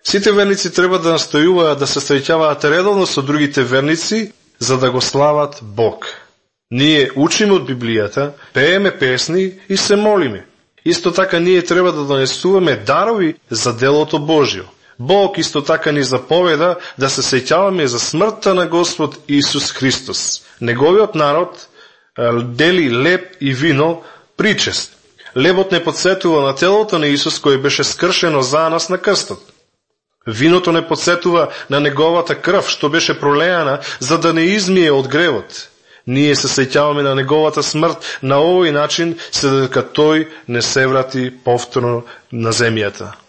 Сите верници треба да настојуваат да се среќаваат редовно со другите верници, за да го слават Бог. Ние учиме од Библијата, пееме песни и се молиме. Исто така ние треба да донесуваме дарови за делото Божјо. Бог исто така ни заповеда да се сеќаваме за смртта на Господ Исус Христос. Неговиот народ дели леб и вино причест. Лебот не подсетува на телото на Исус кој беше скршено за нас на крстот. Виното не подсетува на неговата крв што беше пролеана за да не измие од гревот. Ние се сеќаваме на неговата смрт на овој начин, се дека тој не се врати повторно на земјата.